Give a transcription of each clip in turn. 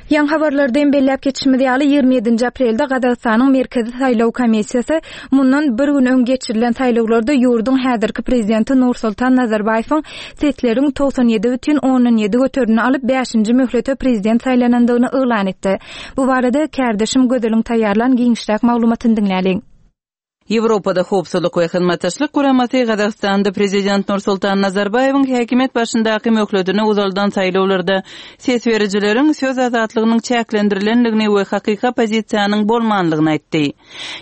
Ýaňy habarlarda hem belläp geçişimiz ýaly, 27-nji aprelde Gazagystanyň Merkezi saýlaw komissiýasy mundan bir gün öň geçirilen saýlawlarda ýurduň häzirki prezidenti Nursultan Nazarbaýewiň sesleriň 97,7 göterimini alyp, bäşinji möhlete prezident saýlanandygyny yglan etdi. Bu barada kärdeşim Gözeliň taýýarlan giňişräk maglumatyny diňläliň. Ýewropada Howpsuzlyk we Hyzmatdaşlyk Guramasy Gazagystanda prezident Nursultan Nazarbaýewiň häkimiýet başyndaky möhletini uzaldan saýlawlarda ses berijileriň söz azatlygynyň çäklendirilendigini we hakyky oppozisiýanyň bolmanlygyny aýtdy.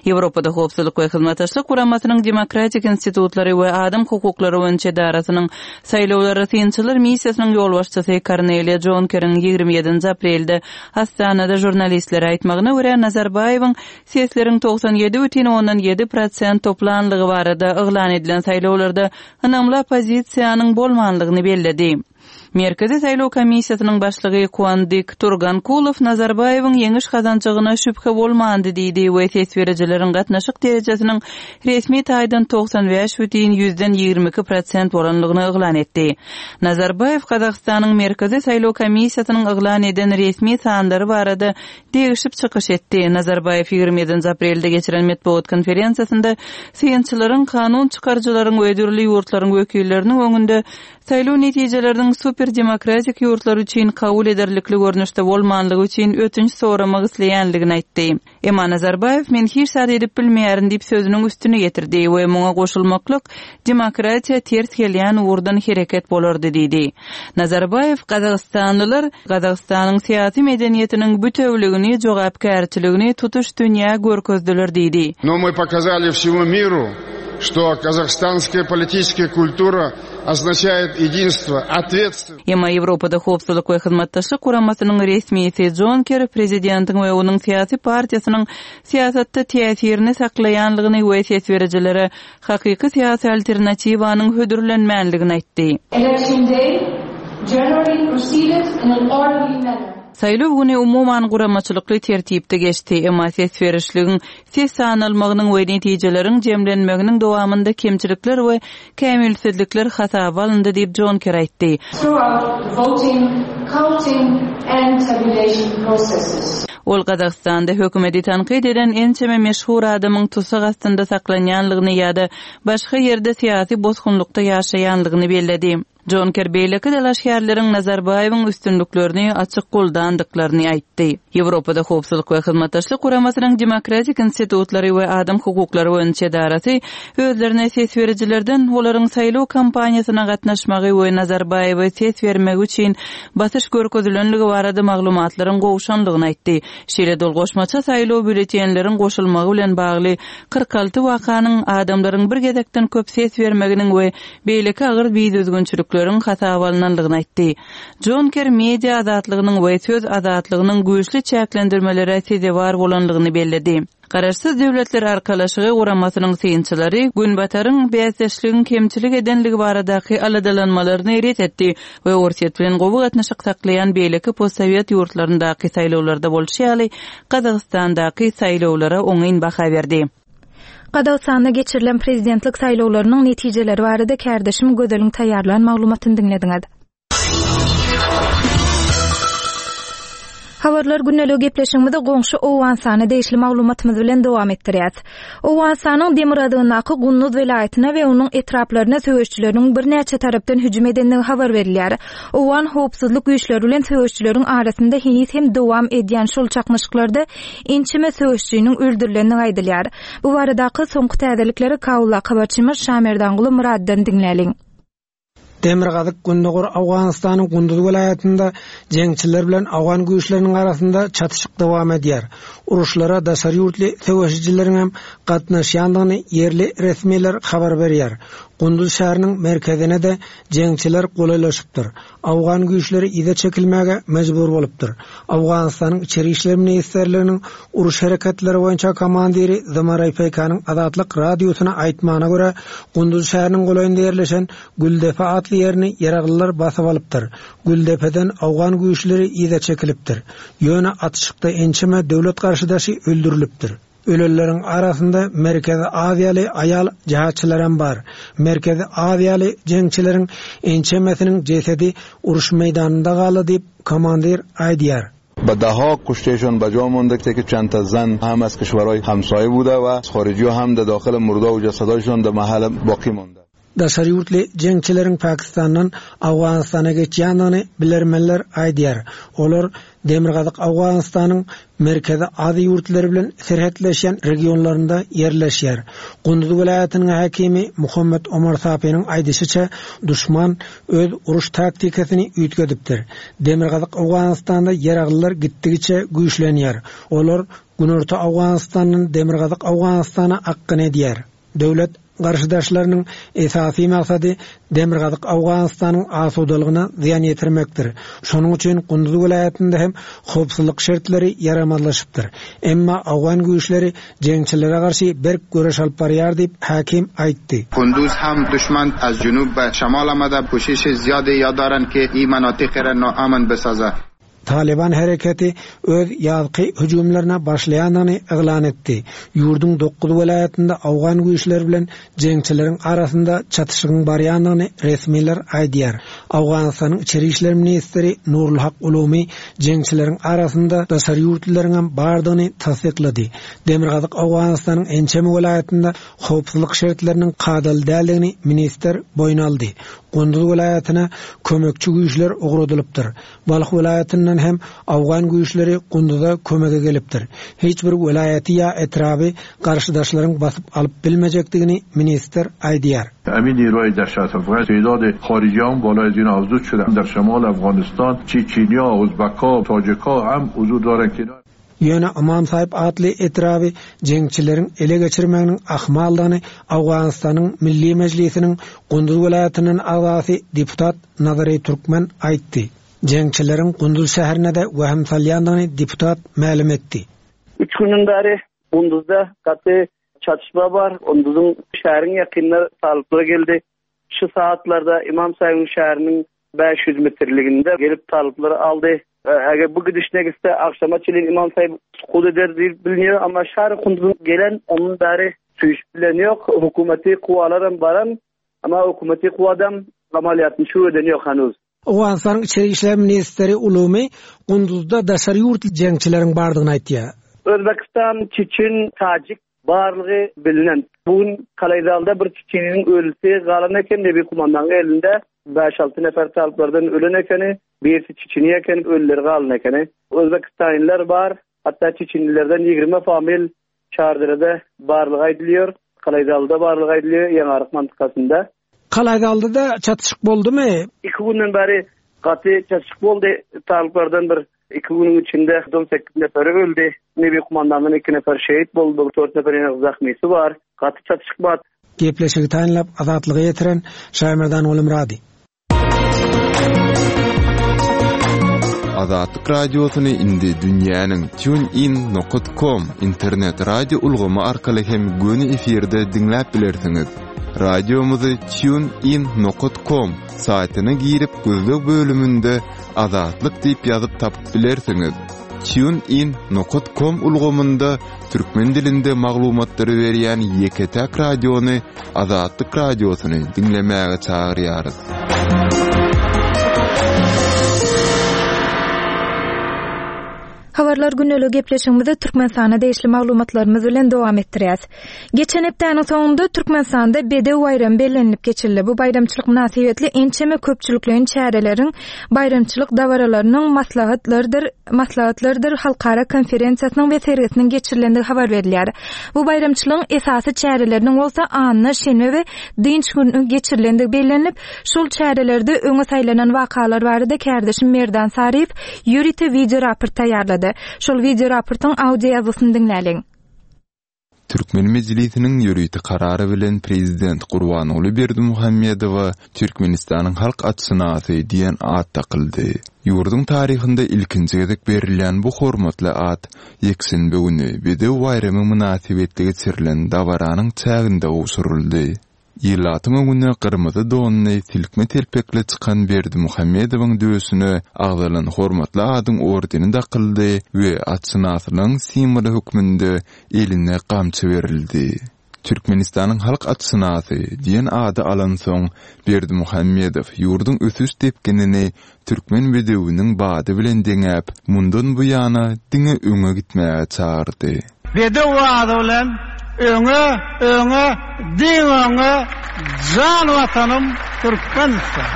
Ýewropada Howpsuzlyk we Hyzmatdaşlyk Guramasynyň Demokratik institutlary we adam hukuklary boýunça edarasynyň saýlawlara synçylar missiýasynyň ýolbaşçysy Korneliýa Jonkeriň 27-nji aprelde Astanada žurnalistlere aýtmagyna görä, Nazarbaýewiň Sesleriň 97,7 prosent toplanlygy barada yglan edilen saýlawlarda ynamly oppozisiýanyň bolmanlygyny belledi. Merkezi saýlaw komissiýasynyň başlygy Kuandyk Turgankulow Nazarbaýewiň ýeňiş gazanjagyna şübhe bolmandy diýdi we ses berijileriň gatnaşyk derejesiniň resmi taýdan 95,22 prosent bolanlygyny yglan etdi. Nazarbaýew Gazagystanyň Merkezi saýlaw komissiýasynyň yglan eden resmi sanlary barada degişip çykyş etdi. Nazarbaýew 27-nji aprelde geçiren metbugat konferensiýasynda synçylaryň, kanun çykaryjylaryň we dürli ýurtlaryň wekilleriniň öňünde saýlaw netijeleriniň super-demokratik ýurtlar üçin kabul ederlikli görnüşde bolmanlygy üçin ötünç soramak isleýänligini aýtdy. Emma Nazarbaýew men hiç zat edip bilmeýärin diýip sözüniň üstüni ýetirdi we muňa goşulmaklyk demokratiýa ters gelýän ugurdan hereket bolardy diýdi. Nazarbaýew gazagystanlylar Gazagystanyň syýasy medeniýetiniň bütewligini, jogapkärçiligini tutuş dünýä görkezdiler diýdi. Но мы показали всему миру, что казахстанская политическая культура означает единство, ответственность. Emma Ýewropada Howpsuzlyk we Hyzmatdaşlyk Guramasynyň resmisi Jon Kerri prezidentiň we onuň syýasy partiýasynyň syýasatda täsirini saklaýanlygyny we ses berijilere hakyky syýasy alternatiwanyň hödürlenmänligini aýtdy. Election day generally proceeded in an orderly manner. Saýlaw güni umuman guramaçylykly tertipde geçdi, emma ses berişligiň, ses sanalmagynyň we netijeleriň jemlenmeginiň dowamynda kemçilikler we kämilsizlikler hasaba alyndy diýip, Jon Kerri aýtdy. Throughout the voting, counting and tabulation processes. Ol Gazagystanda hökümeti tankyt eden ençeme meşhur adamyň tussag astynda saklanýanlygyny ýa-da başga ýerde syýasy bosgunlykda ýaşaýanlygyny belledi. Jonker beýleki dalaşgärleriň Nazarbaýewiň üstünliklerini açyk goldandyklaryny aýtdy. Ýewropada Howpsuzlyk we Hyzmatdaşlyk Guramasynyň Demokratik institutlary we adam hukuklary boýunça edarasy özlerine ses berijilerden olaryň saýlaw kampaniýasyna gatnaşmagy we Nazarbaýewe ses bermegi üçin basyş görkezilenligi barada maglumatlaryň gowşanlygyny aýtdy. Şeýle-de ol goşmaça saýlaw býulletenleriň goşulmagy bilen bagly 46 wakanyň, adamlaryň bir gezekden köp ses bermeginiň we beýleki agyr bidüzgünçilikleriň hasaba alnanlygyny aýtdy. Jonker media azatlygynyň we söz azatlygynyň güýçli çäklendirmelere sezewar bolanlygyny belledi. Garaşsyz Döwletler Arkalaşygy guramasynyň synçylary Günbataryň bäsdeşligiň kemçilik edenligi baradaky aladalanmalaryny ret etdi we Orsýet bilen gowy gatnaşyk saklaýan beýleki postsowet ýurtlaryndaky saýlawlarda bolşy ýaly, Gazagystandaky saýlawlara oňyn baha berdi. Gazagystanda geçirilen prezidentlik saýlawlarynyň netijeleri barada kärdeşim Gözeliň taýýarlan maglumatyny diňlediňiz. Habarlar gündeligi gepleşigimizi goňşy Owganystana degişli maglumatymyz bilen dowam etdirýäs. Owganystanyň demirgazygyndaky Gunduz welaýatyna we onuň etraplaryna söweşijileriň birnäçe tarapdan hüjüm edendigi habar berilýär. Owgan howpsuzlyk güýçleri bilen söweşijileriň arasynda heniz hem dowam edýän şol çaknyşyklarda ençeme söweşijiniň öldürilendigi aýdylýar. Bu baradaky soňky täzelikleri Kabuldaky habarçymyz Şamerdanguly Myratdan diňläliň. Demirgazyk-gündogar Owganystanyň Gunduz welaýatynda jeňçiler bilen owgan güýçleriniň arasynda çatyşyk dowam edýär. Uruşlara daşary ýurtly söweşijileriň hem gatnaşýandygyny ýerli resmiler habar berýär. Gunduz şäheriniň merkezine-de jeňçiler golaýlaşypdyr. Owgan güýçleri yza çekilmäge mejbur bolupdyr. Owganystanyň Içeri işler ministrliginiň uruş hereketleri boýunça komandiri Zymaraý Peýkanyň Azatlyk Radiosyna aýtmagyna görä, Gunduz şäheriniň golaýynda ýerleşen Güldepe atly ýerini ýaraglylar basyp alypdyr. Güldepeden owgan güýçleri yza çekilipdir. Ýöne atyşykda ençeme döwlet garşydaşy öldürilipdir. Ölenleriň arasynda Merkezi Aziýaly aýal jihatçylaram bar. Merkezi Aziýaly jeňçileriň ençemesiniň jesedi uruş meýdanynda galdy diýip, komandir aýdýar. به دهها کشتهشان به جا مانده که چند تا زن هم از کشورهای همسایه بوده و خارجی هم در داخل مرده و جسدهایشان در محل باقی مانده. Daşary ýurtly jeňçileriň Pakistandan Owganystana geçýändigini bilermenler aýdýar. Olar Demirgazyk Owganystanyň Merkezi Aziýa ýurtlary bilen serhetleşýän regionlarynda ýerleşýär. Gunduz welaýatynyň häkimi Muhammet Omar Sapynyň aýdyşyça, duşman öz uruş taktikasyny üýtgedipdir. Demirgazyk Owganystanda ýaraglylar gitdigiçe güýçlenýär. Olar Günorta Owganystandan Demirgazyk Owganystana akgyn edýär. Döwlet garşydaşlarynyň esasy maksady Demirgazyk Owganystanyň asudalygyna zyýan ýetirmekdir. Şonuň üçin Gunduz welaýatynda hem howpsuzlyk şertleri ýaramazlaşypdyr. Emma owgan güýçleri jeňçilere garşy berk göreş alyp barýar diýip, häkim aýtdy. Kunduz hem duşman az junub be şemal amade koşiş ziýade ya daren ke î menatîqê re naamn bisaze. Talyban hereketi öz ýazky hüjümlerine başlaýandygyny yglan etdi. Ýurduň dokuz welaýatynda owgan güýçleri bilen jeňçileriň arasynda çatyşygyň barýandygyny resmiler aýdýar. Owganystanyň içeri işler ministri Nurulhak Ulumi jeňçileriň arasynda daşary ýurtlularyňam bardygyny tassyklady. Demirgazyk Owganystanyň ençeme welaýatynda howpsuzlyk şertleriniň kadaly däldigini ministr boýun aldy. Gunduz welaýatyna kömekçi güýçler ugradylypdyr. Balh welaýatyndan hem owgan güýçleri Gunduza kömege gelipdir. Hiç bir welaýaty ýa etraby garşydaşlaryň basyp alyp bilmejekdigini ministr aýdýar. Emin niroy dehşet afgan te'dad xarijiyan bolay az ina afzud şude der şemal Afganistan çeçeniya uzbekha tacikha hem huzur daren ki Ýöne Ymam Saýyp atly etraby jeňçileriň ele geçirmeginiň ahmaldygyny Owganystanyň Milli Mejlisiniň Gunduz welaýatyndan agzasy deputat Nazary Türkmen aýtdy. Jeňçileriň Gunduz şäherine-de wehim salýandygyny deputat mälim etdi. Üç günden bäri Gunduzda gaty çatyşma bar. Gunduzyň şäheriň ýakynynda talyplar geldi. Şu saatlarda Ymam Saýybyň şäheriniň 500 metrliginde gelip talyplary aldy. Eger bu gidişine gitse agşama çenli Ymam Saýyp sukut eder diýip bilinýär. Amma şäher Gunduzyň gelen ondan bäri süýşüp bilen ýok. Hökümeti kuwalaram baran, amma hökümeti kuwadam amalýatyny şu eden ýok hanuz. Owganystanyň içeri işler ministri Ulumi Gunduzda daşary ýurtly jeňçileriň bardygyny aýtýar. Özbekistan, çeçen, tajik Barlygy bilinen. Bu gün Kalaýzalda bir çiçiniň ölüsi galan eken, Nebi kumandanyň elinde bäş-alty nefer talyplardan ölen ekeni, birisi çiçini eken, ölüleri galan ekeni. Özbekistanlylar bar, hatda çiçinlilerden 20 famil Çarderede barlygy aýdylýar, Kalaýzalda barlygy aýdylýar, Ýeňaryk mantykasynda. Kalaýzalda-da çatyşyk boldumy? Iki günden bäri gaty çatyşyk boldy. Talyplardan bir iki günüň içinde 18 neferi öldi. Nebi kumandandan iki nefer şehit boldy, dört nefer ýene zahmysy bar. Gaty çatyşyk bar. Gepleşigi taýynlap Azatlyga ýetiren Şaýmerdan Gulymyrady. Azatlyk Radiosyny indi dünýäniň TuneIn nokat com internet radio ulgamy arkaly hem göni efirde diňläp bilersiňiz. Radiomyzy TuneIn nokat com saýtyna girip gözleg bölüminde Azatlyk diýip ýazyp tapyp bilersiňiz. TuneIn nokat com ulgamynda türkmen dilinde maglumatlary berýän ýeke-täk radiony Azatlyk Radiosyny diňlemäge çagyrýarys. Habarlar gündelik gepleşigimizi Türkmenistana degişli maglumatlarymyz bilen dowam etdirýäs. Geçen hepdäniň soňunda Türkmenistanda Bedew baýramy bellenilip geçildi. Bu baýramçylyk mynasybetli ençeme köpçülikleýin çäreleriň, baýramçylyk dabaralarynyň, maslahatlardyr maslahatlardyr halkara konferensiýasynyň we sergisiniň geçirilendigi habar berilýär. Bu baýramçylygyň esasy çäreleriniň bolsa anna, şenbe we dynç güni geçirilendigi bellenilip, şol çärelerde öňe saýlanan wakalar barada kärdeşim Merdan Saryýew ýörite wideoraport taýýarlady. Şol wideoraportyň audio ýazgysyny diňläliň. Türkmen Mejlisiniň ýörite Karary bilen Prezident Gurbanguly Berdimuhamedowa Türkmenistanyň halk atşynasy diýen at dakyldy. Ýurduň taryhynda ilkinji gezek berilýän bu hormatly at ýekşenbe güni, Bedew baýramy mynasybetli geçirilen dabaranyň çäginde gowşuryldy. Ilatyň öňüne gyrmyzy donly, silkme telpekli çykan Berdimuhamedowyň döşüne agzalan hormatly adyň ordeni dakyldy we atşynaslygyň simwoly hökmünde eline gamçy berildi. Türkmenistanyň halk atşynasy diýen ady alansoň, Berdimuhamedow ýurduň ösüş depginini türkmen bedewiniň bady bilen deňäp, mundan buýana diňe öňe gitmäge çagyrdy. Bedew bady bilen öňe, öňe, diňe öňe, jan Watanym Türkmenistan!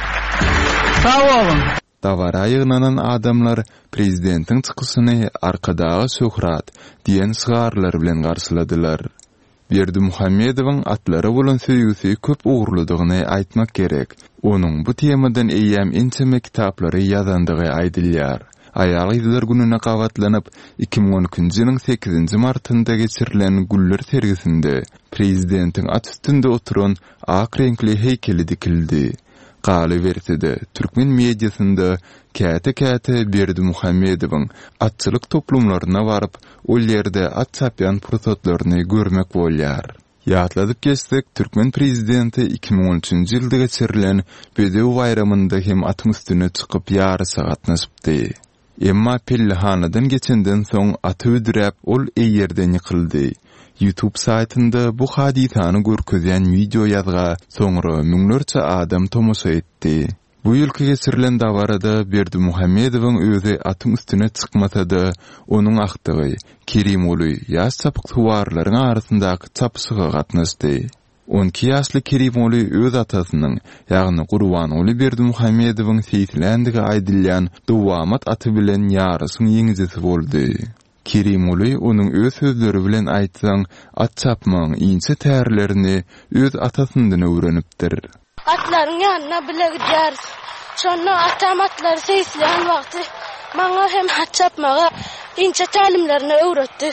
Sag boluň! Dabara ýygnanan adamlar prezidentiň çykyşyny Arkadaga şöhrat! diýen şygarlar bilen garşyladylar. Berdimuhamedowyň atlara bolan söýgüsi köp ugurlydygyny aýtmak gerek. Onuň bu temadan eýýäm ençeme kitaplary ýazandygy aýdylýar. Aýal-gyzlar gününe gabatlanyp, 2012-nji ýylyň sekizinji martynda geçirilen güller sergisinde prezidentiň at üstünde oturan ak reňkli heýkeli dikildi. Galyberse-de, türkmen mediasynda käte-käte Berdimuhamedowyň atçylyk toplumlaryna baryp, ol ýerde at çapýan pursatlaryny görmek bolýar. Ýatladyp geçsek, türkmen prezidenti 2013-nji ýylda geçirilen Bedew baýramynda hem atyň üstüne çykyp ýaryşa gatnaşypdy. Emma pellehanadan geçenden soň aty büdräp, ol eýerden ýykyldy. Youtube saýtynda bu hadysany görkezýän wideoýazga soňra müňlerçe adam tomaşa etdi. Bu ýylky geçirilen dabarada Berdimuhamedowyň özi atyň üstüne çykmasa-da, onuň agtygy Kerimguly ýaş çapyksuwarlaryň arasyndaky çapyşyga gatnaşdy. 12 ýaşly Kerimguly öz atasynyň, ýagny Gurbanguly Berdimuhamedowyň seýisländigi aýdylýan Dowamat aty bilen ýaryşyň ýeňijisi boldy. Kerimguly onuň öz sözleri bilen aýtsaň, at çapmagyň inçe tärlerini öz atasyndan öwrenipdir. Atlaryň ýanyna bile gidýäris. Şonda atam atlary seýisleýän wagty maňa hem at çapmagy inçe tälimlerini öwretdi.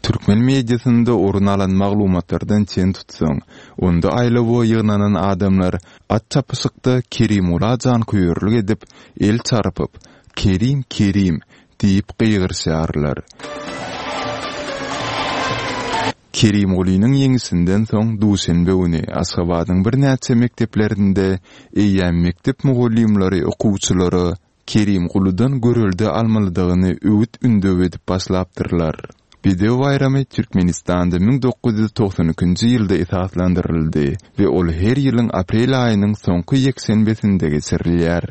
Türkmen mediasynda orun alan maglumatlardan çen tutsaň, onda aýlawa ýygnanan adamlar at çapyşykda Kerimgula janköýerlik edip, el çarpyp, Kerim, Kerim! diýip gygyryşýarlar. Kerimgulynyň ýeňişinden soň duşenbe güni Aşgabadyň birnäçe mekdeplerinde eýýäm mekdep mugallymlary okuwçylara Kerimguludan görelde almalydygyny öwüt-ündew edip başlapdyrlar. Bedew baýramy Türkmenistanda 1992-nji ýylda esaslandyryldy we ol her ýylyň aprel aýynyň soňky ýekşenbesinde geçirilýär.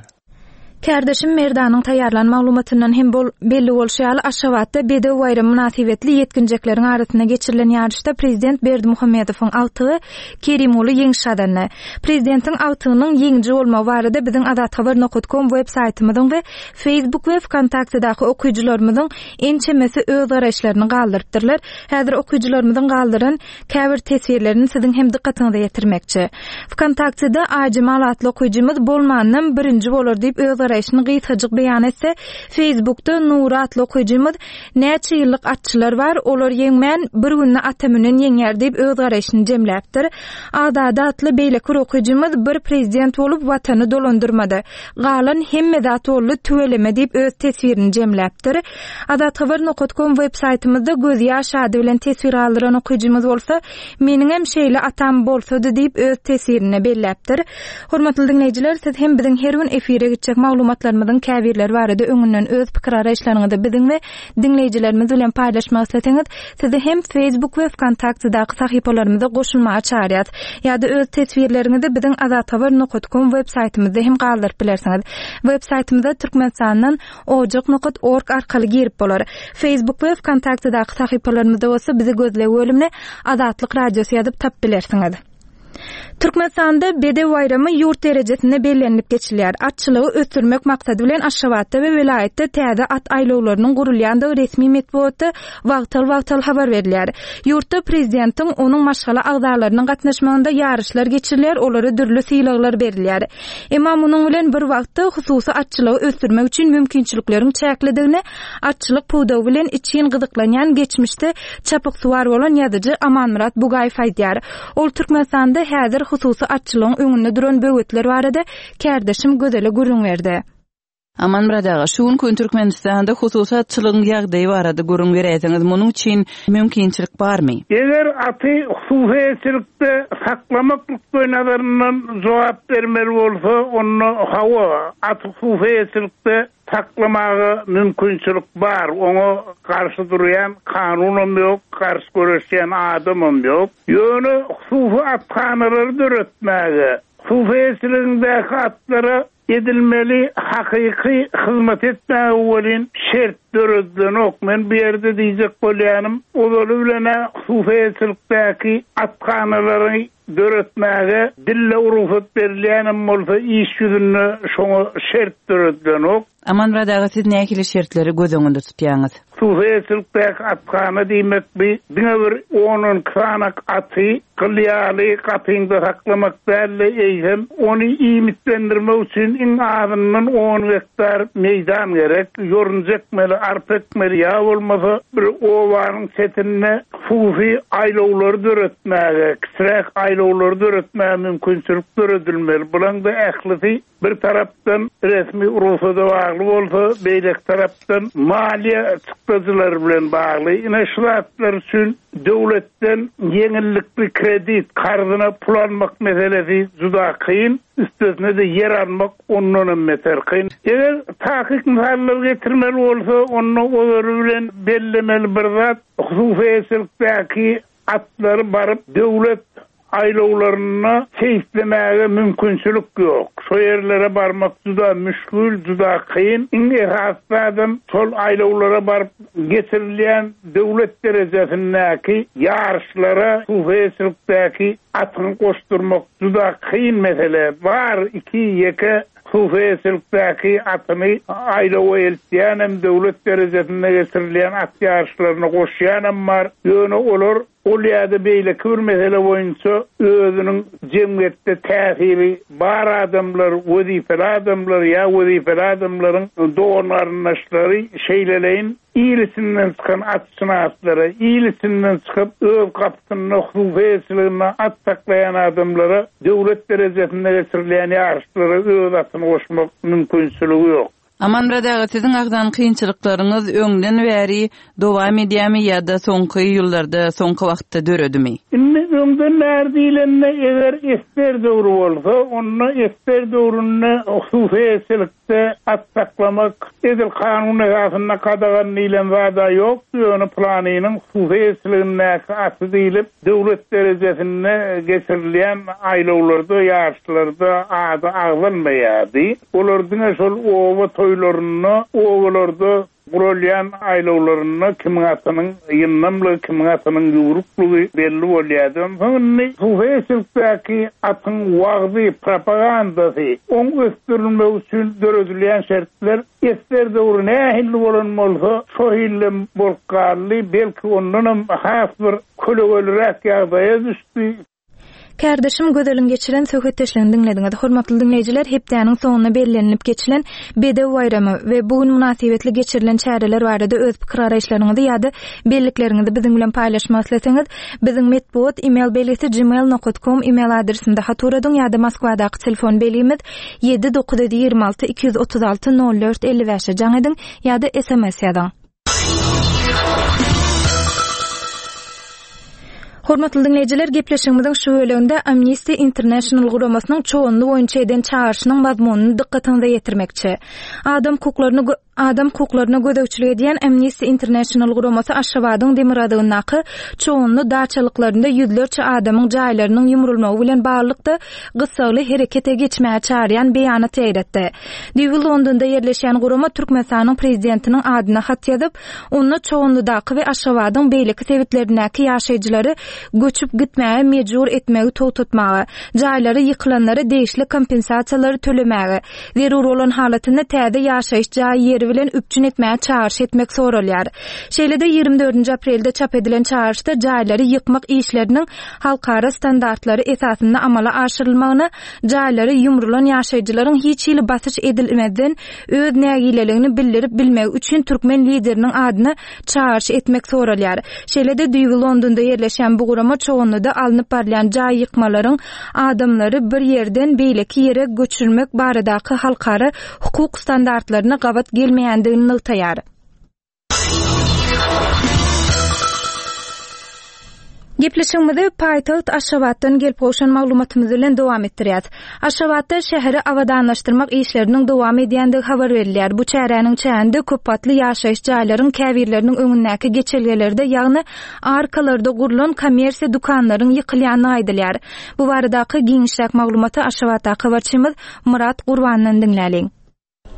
Kärdeşim Merdanyň taýýarlan maglumatyndan hem bol belli bolşy ýaly, Aşgabatda Bedew baýramy mynasybetli ýetginjekleriň arasynda geçirilen ýaryşda prezident Berdimuhamedowyň agtygy Kerimguly ýeňiş gazandy. Prezidentiň agtygynyň ýeňiji bolmagy barada biziň Azathabar nokat kom web saýtymyzyň we Facebook we Wkontaktedaky okyjylarymyzyň ençemesi öz garaýyşlaryny galdyrypdyrlar. Häzir okyjylarymyzyň galdyran käbir teswirlerini siziň hem dykgatyňyza ýetirmekçi. Wkontaktede Aýjemal atly okyjymyz bolmanynam birinji bolar diýip öz garaýşyny gysgajyk beýan etse, Facebookda Nury atly okyjymyz Näçe ýyllyk atçylar bar, olar ýeňmän, bir günde ata münen ýeňýär diýip öz garaýşyny jemläpdir. Azady atly beýleki bir okyjymyz bir prezident bolup watany dolandyrmady. Galan hemme zat boldy tüweleme diýip öz teswirini jemläpdir. Azathabar nokat kom web saýtymyzda Gözýaş ady bilen teswir galdyran okyjymyz bolsa Meniňem şeýle atam bolsady diýip öz teswirinde belläpdir. Hormatly diňleýjiler siz hem biziň her gün efire gitjek maglumatlarymyzyň käbirleri barada öňünden öz pikir-garaýyşlaryňyzy biziň we diňleýjilerimiz bilen paýlaşmak isleseňiz sizi hem Facebook we Wkontaktedaky sahypalarymyza goşulmaga çagyrýas. Ýa-da öz teswirleriňizi biziň azathabar nokat kom web saýtymyzda hem galdyryp bilersiňiz. Web saýtymyza Türkmenistandan ojak nokat org arkaly girip bolar. Facebook we Wkontaktedaky sahypalarymyzda bolsa bizi gözleg bölümine Azatlyk Radiosy ýazyp tapyp bilersiňiz. Türkmenistanda Bedew baýramy ýurt derejesinde bellenilip geçilýär. Atçylygy ösdürmek maksady bilen Aşgabatda we welaýatda täze at aýlawlarynyň gurulýandygy resmi metbugatda wagtal-wagtal habar berilýär. Ýurtda prezidentiň, onuň maşgala agzalarynyň gatnaşmagynda ýaryşlar geçirilýär, olara dürli sylaglar berilýär. Emma munuň bilen bir wagtda hususy atçylygy ösdürmek üçin mümkinçilikleriň çäklidigini atçylyk pudagy bilen içgin gyzyklanýan geçmişde çapyksuwar bolan ýazyjy Amanmyrat Bugaýew aýdýar. Ol Türkmenistanda häzir hususy atçylygyň öňünde duran böwetler barada kärdeşim Gözele gürrüň berdi. Amanmyrat aga, şu günki gün Türkmenistanda hususy atçylygyň ýagdaýy barada gürrüň beräýseňiz, munuň üçin mümkinçilik barmy? Eger aty hususy eýeçilikde saklamak nukdaýnazaryndan jogap bermeli bolsa, onda hawa, aty hususy eýeçilikde saklamaga mümkinçilik bar, oňa garşy durýan kanunam ýok, garşy göreşýän adamam ýok. Ýöne hususy athanalary döretmäge, hususy eýeçiligiňdäki atlara Edilmeli hakyky hyzmat etmäge welin şert döredilenok. Men bu ýerde diýjek bolýanym, ozaly bilen-ä hususyýetçilikdäki athanalary döretmäge dille rugsat berilýänem bolsa, iş ýüzünde şoňa şert döredilenok. Amanmyrat aga, siz nähili şertleri göz öňünde tutýaňyz? Hususyýetçilikdäki athana diýmek bi diňe bir on-on iki sanak aty gyl ýaly gapyňda saklamak däl-de, eýsem, ony iýmitlendirmek üçin iň azyndan on gektar meýdan gerek. Ýorunja ekmeli, arpa ekmeli ýa bolmasa bir obanyň çetinde hususy aýlawlary döretmäge, kiçiräk aýlawlary döretmäge mümkinçilik döredilmeli. Bulaň-da ählisi Bir tarapdan resmi rugsada bagly bolsa, beýleki tarapdan maliýe çykdajylary bilen bagly. Ine şu zatlar üçin döwletden ýeňillikli kredit, karzyna pul almak meselesi juda kyn, üstesine-de ýer almak ondan hem beter kyn. Eger takyk mysallar getirmeli bolsa, onda ozaly bilen bellemeli bir zat, hususy eýeçilikdäki atlary baryp döwlet aýlawlarynda seýislemäge mümkinçilik ýok. Şo ýerlere barmak juda müşgil, juda kyn. Iň esasy zadam şol aýlawlara baryp geçirilýän döwlet derejesindäki ýaryşlara hususyýetçilikdäki atyňy goşdurmak juda kyn mesele. Bar iki, ýeke hususyýetçilikdäki atyny aýlawa eltýänem, döwlet derejesinde geçirilýän at ýaryşlaryna goşýanam bar. Ýöne olar Ol ýa-da beýleki bir mesele boýunça özüniň jemgyýetde täsiri bar adamlar, wezipeli adamlar ýa wezipeli adamlaryň dogan-garyndaşlary şeýleleýin il içinden çykan atşynaslara, il içinden çykyp öz gapysynda hususy eýeçiliginde at saklaýan adamlara döwlet derejesinde geçirilýän ýaryşlara öz atyny goşmak mümkinçiligi ýok. Amanmyrat aga, siziň agzan kynçylyklaryňyz öňden bäri dowam edýärmi ýa-da soňky ýyllarda, soňky wagtda döredimi? Indi öňden bäri diýlende, eger esger döwri bolsa, onda esger döwründe hususy eýeçilikde at saklamak edil kanun esasynda gadagan diýlen zad-a ýokdy, ýöne pylanynyň hususy eýeçiligindäki aty diýlip, Döwlet derejesinde geçirilýän aýlawlarda, ýaryşlarda ady agzalmaýardy. Olar diňe şol oba toýlarynda, obalarda guralýan aýlawlarynda kimiň atynyň ýyndamlygy, kimiň atynyň ýüwrüklugy belli bolýardy. Onsoň indi hususyýetçilikdäki atyň wagzy, propagandasy, oň ösdürilmegi üçin döredilýän şertler Esger döwri nähili bolan bolsa, şo hillem bolup galdy, belki ondanam has bir kölegeliräk ýagdaýa düşdi. Kärdeşim Gözeliň geçiren söhbetdeşligini diňlediňiz. Hormatly diňleýjiler, hepdäniň soňunda bellenilip geçilen Bedew baýramy we bu gün mynasybetli geçirilen çäreler barada öz pikir-garaýyşlaryňyzy ýa-da bellikleriňizi biziň bilen paýlaşmak isleseňiz, biziň metbugat email belgisi gmail nokat kom email adresimize hat ugradyň ýa-da Moskwadaky telefon belgimiz 7 926 236 04 55-e jaň ediň ýa-da sms ýazyň. Hormatly diňleýjiler, gepleşigimiziň şu böleginde Amnesty International guramasynyň Çoganly boýunça eden çagyryşynyň mazmunyny dykgatyňyza ýetirmekçi. Adam hukuklaryny Adam hukuklaryna gözegçilik edýän Amnesty International guramasy Aşgabadyň demirgazygyndaky Çoganly daçalyklarynda ýüzlerçe adamyň jaýlarynyň ýumrulmagy bilen baglylykda gyssagly herekete geçmäge çagyrýan beýanat ýaýratdy. Düýbi Londonda ýerleşýän gurama Türkmenistanyň prezidentiniň adyna hat ýazyp, onda Çoganlydaky we Aşgabadyň beýleki sebitlerindäki ýaşaýjylary göçüp gitmäge mejbur etmegi togtatmaga, jaýlary ýykylanlara degişli kompensasiýalary tölemäge, Zerur bolan halatynda täze ýaşaýyş jaý ýeri. serişdeleri bilen üpjün etmäge çagyryş etmek soralýar. Şeýle-de 24-nji aprelde çap edilen çagyryşda jaýlary ýykmak işleriniň halkara standartlary esasynda amala aşyrylmagyna, jaýlary ýumrulan ýaşaýjylaryň hiç hili basyş edilmezden öz nägileligini bildirip bilmegi üçin türkmen Lideriniň adyna çagyryş etmek soralýar. Şeýle-de düýbi Londonda ýerleşýän bu gurama Çoganlyda alnyp barylýan jaý ýykmalaryň adamlary bir ýerden beýleki ýere göçürmek baradaky halkara hukuk standartlaryna gabat gelmeýändigini nygtaýar. Gepleşigimizi paýtagt Aşgabatdan gelip gowşan maglumatymyz bilen dowam etdirýäs. Aşgabatda şäheri abadanlaşdyrmak işleriniň dowam edýändigi habar berilýär. Bu çäräniň çäginde köpgatly ýaşaýyş jaýlaryň käbirleriniň öňündäki geçelgelerde, ýagny arkalarda gurlan kommersiýa dükanlaryň ýykylýandygy aýdylýar. Bu baradaky giňişräk maglumaty Aşgabatdaky habarçymyz Myrat Gurbandan diňläliň.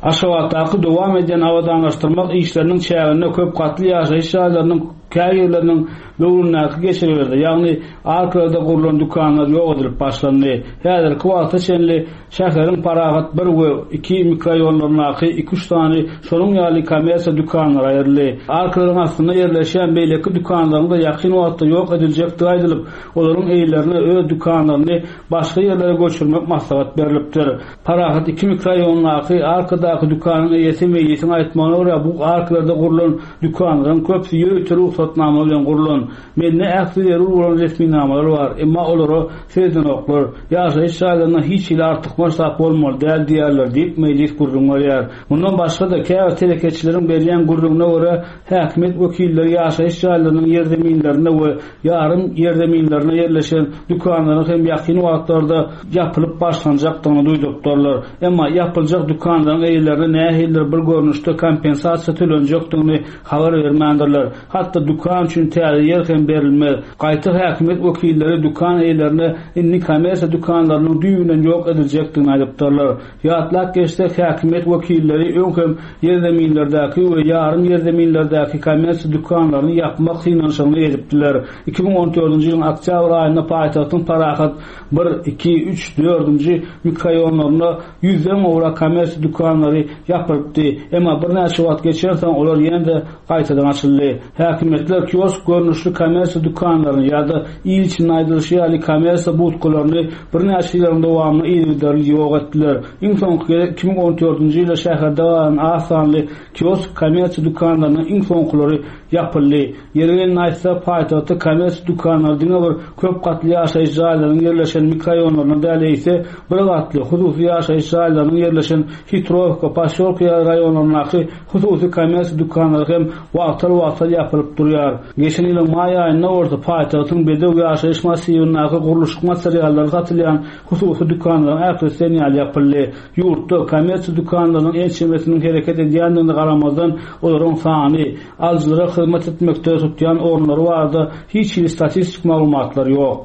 Aşgabatdaky dowam edýän abadanlaşdyrmak işleriniň çäginde köp gatly ýaşaýyş jaýlarynyň käbirleriniň böwründäki geçelgelerde, ýagny arkalarda gurlan dükanlar ýok edilip başlandy. Häzirki wagta çenli şäheriň Parahat bir we iki mikroraýonlaryndaky iki-üç sany şonuň ýaly kommersiýa dükanlary aýryldy. Arkalaryň astynda ýerleşýän beýleki dükanlaryň-da ýakyn wagtda ýok ediljekdigi aýdylyp, olaryň eýelerine öz dükanlaryny başga ýerlere göçürmek maslahat berlipdir. Parahat iki mikroraýondaky arkadaky dükanyň eýesi Meýlisiň aýtmagyna görä, bu arkalarda gurlan dükanlaryň köpüsi ýörite rugsatnama bilen gurlan. Mende ähli zerur bolan resminamalar bar, emma olara seredenoklar. Ýaşaýyş jaýlarynda hiç hili artykmaç zat bolmaly däl diýýärler diýip, Meýlis gürrüň berýär. Mundan başga-da, käbir telekeçileriň berýän gürrüňine görä, häkimiýet wekilleri ýaşaýyş jaýlarynyň ýerzeminlerinde we ýarym ýerzeminlerinde ýerleşen dükanlaryň hem ýakyn wagtlarda ýapylyp başlanjakdygyny duýdurypdyrlar. Emma ýapyljak dükanlaryň eýelerine nähilidir bir görnüşde kompensasiýa tölenjekdigini habar bermändirler. Hatda dükan üçin täze ýer hem berilmez. Gaýta häkimiýet wekilleri dükan eýelerine indi kommersiýa dükanlarynyň düýbünden ýok ediljekdigini aýdypdyrlar. Ýatlap geçsek, häkimiýet wekilleri öň hem ýerzeminlerdäki we ýarym ýerzeminlerdäki kommersiýa dükanlaryny ýapmak synanyşygyny edipdiler. 2014-nji ýylyň oktýabr aýynda paýtagtyň Parahat bir, iki, üç, dördünji mikroraýonlarynda ýüzden gowrak kommersiýa dükanlary ýapylypdy. Emma birnäçe wagt geçensoň, olar ýene-de gaýtadan açyldy. Häkimiýetler kiosk görnüşli kommersiýa dükanlaryny ýa-da il içinde aýdylyşy ýaly kommersiýa budkalaryny birnäçe ýyllaryň dowamynda yzygiderli ýok etdiler. Iň soňky gezek 2014-nji ýylda şäherde galan az sanly kiosk kommersiýa dükanlarynyň iň soňkulary ýapyldy. Ýeri gelende aýtsak, paýtagtda kommersiýa dükanlary diňe bir köp gatly ýaşaýyş jaýlarynyň ýerleşen mikroraýonlarynda däl, eýse, bir gatly, hususy ýaşaýyş jaýlarynyň ýerleşen Hitrowka, Posýolka ýaly raýonlaryndaky Hususy kommersiýa dükanlary hem wagtal-wagtal ýapylyp durýar. Geçen ýylyň maý aýynda bolsa paýtagtyň Bedew ýaşaýyş massiwindäki gurluşyk materiallary satylýan hususy dükanlaryň ählisi diýen ýaly ýapyldy. Ýurtda kommersiýa dükanlarynyň ençemesiniň hereket edýändigine garamazdan, olaryň sany, alyjylara hyzmat etmekde tutýan orunlary barada hiç hili statistik maglumatlar ýok.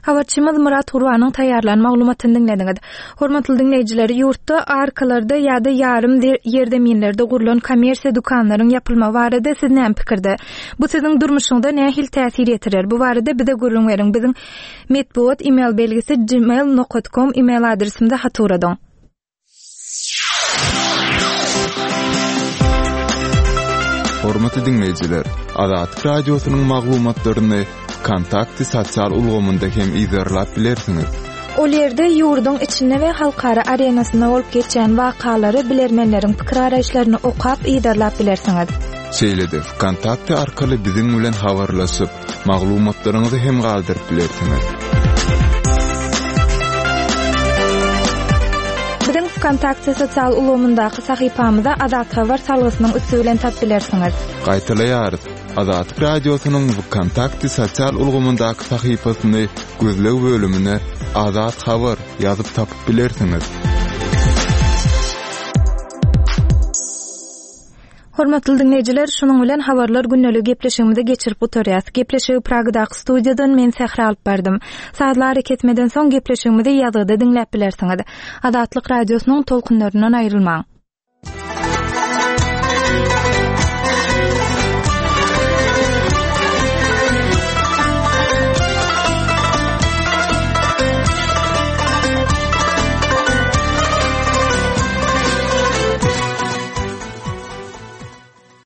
Habarçymyz Myrat Gurbanyň taýýarlan maglumatyny diňlediňiz. Hormatly diňleýjiler, ýurtda arkalarda ýa-da ýarym ýerzeminlerde gurlan kommersiýa dükanlaryň ýapylmagy barada siz näme pikirde? Bu siziň durmuşyňyza nähili täsir ýetirer? Bu barada bize gürrüň beriň. Biziň metbugat email belgisi gmail nokat kom email adresimize hat ugradyň. Hormatly diňleýjiler, Azatlyk Radiosynyň maglumatlaryny Wkontakte sosial ulgamynda hem yzarlap bilersiňiz. Ol ýerde ýurduň içinde we halkara arenasynda bolup geçýän wakalary, bilermenleriň pikir-garaýyşlaryny okap, yzarlap bilersiňiz. Şeýle-de Wkontakte arkaly biziň bilen habarlaşyp, Maglumatlaryňyzy hem galdyryp bilersiňiz. Biziň Wkontakte sosial ulgamyndaky sahypamyza Azat Habar salgysynyň üsti bilen tap bilersiňiz. Gaýtalaýarys, Azatlyk Radiosynyň Wkontakte sosial ulgamyndaky sahypasyny gözleg bölümine Azat Habar ýazyp tapyp bilersiňiz. Hormatly diňleýjiler, şunuň bilen Habarlar gündeliği gepleşigimizi geçirip gutarýas. Gepleşigi Pragadaky studiýadan men Sähra alyp bardym. Sazly arakesmeden soň gepleşigimizi ýazgyda diňläp bilersiňiz. Azatlyk Radiosynyň tolkunlaryndan aýrylmaň.